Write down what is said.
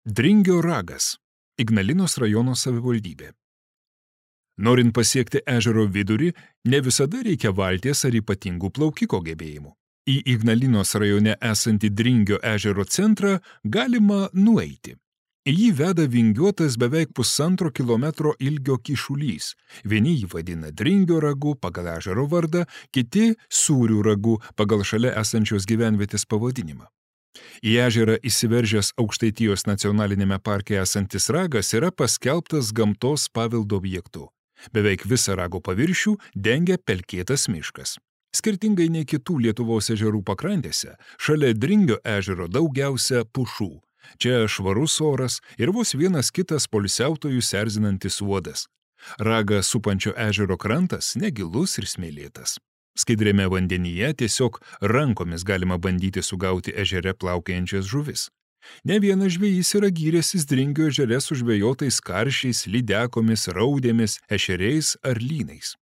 Dringio ragas – Ignalinos rajono savivaldybė. Norint pasiekti ežero vidurį, ne visada reikia valties ar ypatingų plaukiko gebėjimų. Į Ignalinos rajone esantį Dringio ežero centrą galima nueiti. Į jį veda vingiuotas beveik 1,5 kilometro ilgio kyšulys. Vieni jį vadina Dringio ragu pagal ežero vardą, kiti Sūrių ragu pagal šalia esančios gyvenvietės pavadinimą. Į ežerą įsiveržęs Aukštaitijos nacionalinėme parke esantis ragas yra paskelbtas gamtos paveldo objektu. Beveik visą rago paviršių dengia pelkėtas miškas. Skirtingai nei kitų Lietuvos ežerų pakrantėse, šalia Dringio ežero daugiausia pušų. Čia švarus oras ir vos vienas kitas poilsiautojus erzinantis uodas. Ragą supančio ežero krantas negilus ir smėlėtas. Skaidriame vandenyje tiesiog rankomis galima bandyti sugauti ežere plaukiojančias žuvis. Ne vienas žvejys yra gyręsis Dringio ežere sužvejotais karšiais, lydekomis, raudėmis, ešeriais ar lynais.